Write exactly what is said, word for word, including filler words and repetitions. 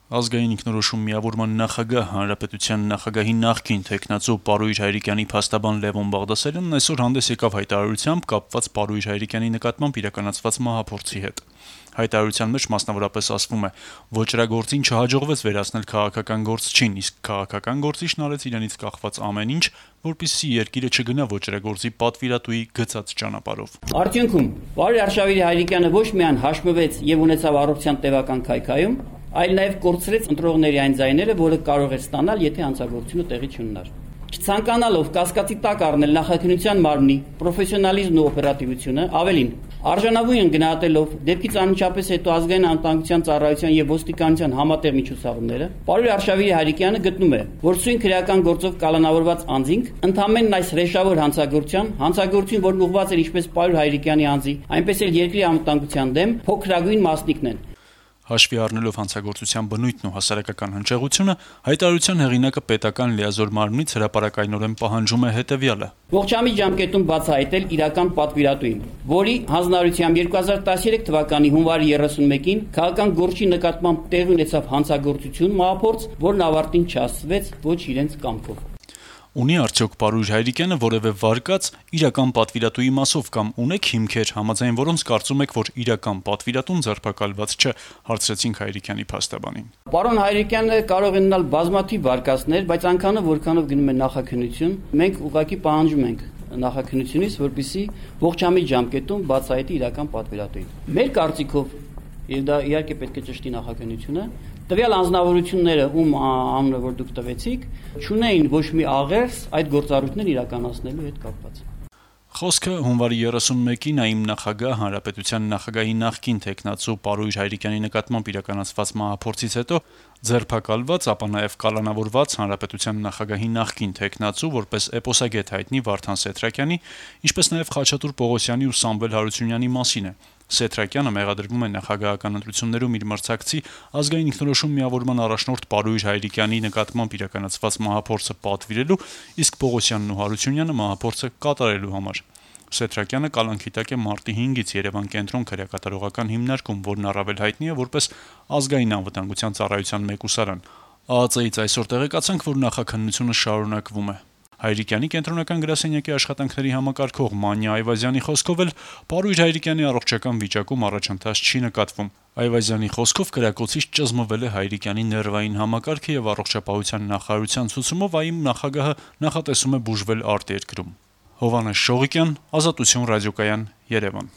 Ազգային ինքնորոշում միավորման նախագահ, Հանրապետության նախագահի նախկին թեկնածու Պարույր Հայրիկյանի փաստաբան Լևոն Բաղդասարյանն այսօր հանդես եկավ հայտարարությամբ կապված Պարույր Հայրիկյանի նկատմամբ իրականացված մահափորձի հետ։ Հայտարարության մեջ մասնավորապես ասվում է. «Ոճրագործին չհաջողվեց վերացնել քաղաքական գործչին, իսկ քաղաքական գործիչն արեց իրենից կախված ամեն ինչ, որպեսզի երկիրը չգնա ոճրագործի պատվիրատուի գծած ճանապարհով»։ Արդյունքում Պարույր Արշավիր Հայրիկյանը ոչ միայն հաշմվեց եւ ունեցավ առողջության տևական քայքայում, այլ նաեւ կորցրեց ընտրողների այն ձայները, որը կարող էր ստանալ, եթե հանցագործությունը տեղի չունենար։ Չցանկանալով կասկածի տակ առնել նախաքննության մարմնի պրոֆեսիոնալիզմն ու օպերատիվությունը, ավելին արժանավույն գնահատելով դեպքից անմիջապես հետո ազգային անվտանգության ծառայության եւ ոստիկանության համատեղ միջոցառումները, Պարույր Արշավիր Հայրիկյանը գտնում է, որ սույն քրեական գործով կալանավորված անձինք ընդամենն այս հրեշավոր հանցագործության, հանցագործություն, որն ուղղված էր ինչպես Պարույր Հայրիկյանի անձի, այնպես էլ երկրի անվտանգության դեմ, փոքրագույն մասնիկն են։ Հաշվի առնելով հանցագործության բնույթն ու հասարակական հնչեղությունը, հայտարարության հեղինակը պետական լիազոր մարմնից հրապարակայնորեն պահանջում է հետևյալը. Ողջամիտ ժամկետում բացահայտել իրական պատվիրատուին, որի հանձնարարությամբ երկու հազար տասներեք թվականի հունվարի երեսունմեկին քաղաքական գործի նկատմամբ տեղի ունեցավ հանցագործություն, մահափորձ, որն ավարտին չհասցվեց ոչ իրենց կամքով։ Ունի արդյոք Պարույր Հայրիկյանը որևէ վարկած իրական պատվիրատուի մասով կամ ունեք հիմքեր, համաձայն որոնց կարծում եք, որ իրական պատվիրատուն ձերբակալված չէ, հարցրեցինք Հայրիկյանի փաստաբանին։ Պարոն Հայրիկյանը կարող է ունենալ բազմաթիվ վարկածներ, բայց այնքանով որքանով գնում է նախաքննություն, մենք ուղղակի պահանջում ենք նախաքննությունից, որպեսզի ողջամիտ ժամկետում բացահայտի իրական պատվիրատուին։ Մեր կարծիքով, եւ դա իհարկե պետք է ճշտի նախաքննությունը, տվյալ անձնավորությունները, ում անունը որ դուք տվեցիք, չունեին ոչ մի աղերս այդ գործառույթներն իրականացնելու հետ կապված։ Խոսքը հունվարի երեսունմեկին ԱԻՄ նախագահ, Հանրապետության նախագահի նախկին թեկնածու Պարույր Հայրիկյանի նկատմամբ իրականացված մահափորձից հետո ձերբակալված, ապա նաև կալանավորված Հանրապետության նախագահի նախկին թեկնածու, որպես էպոսագետ հայտնի Վարդան Սեթրակյանի, ինչպես նաև Խաչատուր Պողոսյանի ու Սամվել Հարությունյանի մասին է։ Սեթրակյանը մեղադրվում է նախագահական ընտրություններում իր մրցակցի ազգային ինքնորոշում միավորման առաջնորդ Պարույր Հայրիկյանի նկատմամբ իրականացված մահափորձը պատվիրելու, իսկ Պողոսյանն ու Հարությունյանը մահափորձը կատարելու համար։ Սեթրակյանը կալանքի տակ է մարտի հինգից Երևան կենտրոն քրեակատարողական հիմնարկում, որն առավել հայտնի է որպես ազգային անվտանգության ծառայության մեկուսարան։ ԱԱԾ-ից այսօր տեղեկացանք, որ նախաքննությունը շարունակվում է։ Հայրիկյանի կենտրոնական գրասենյակի աշխատանքների համակարգող Մանյա Այվազյանի խոսքով էլ Պարույր Հայրիկյանի առողջական վիճակում առաջընթաց չի նկատվում։ Այվազյանի խոսքով կրակոցից ճզմվել է Հայրիկյանի ներվային համակարգը եւ առողջապահության նախարարության ցուցումով ԱԻՄ նախագահը նախատեսում է բուժվել արտերկրում։ Հովհաննես Շողիկյան, Ազատություն ռադիոկայան, Երևան։